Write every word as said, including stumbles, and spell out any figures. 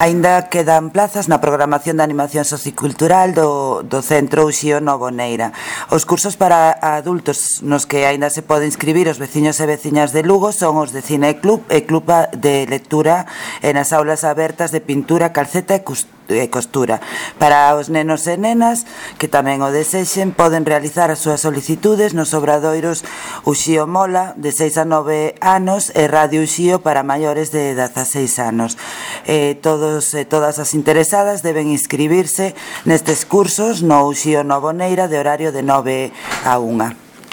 Aínda quedan plazas na programación de animación sociocultural do, do Centro Uxío Novo Neira. Os cursos para adultos nos que aínda se pode inscribir os veciños e veciñas de Lugo son os de Cine Club e Club de Lectura e nas aulas abertas de pintura, calceta e costura. Para os nenos e nenas que tamén o desexen, poden realizar as súas solicitudes nos obradoiros Uxío Mola de seis a nove anos e Radio Uxío para maiores de dezaseis anos. Eh, todo e todas as interesadas deben inscribirse nestes cursos no Uxío Novo Neira de horario de nove a unha.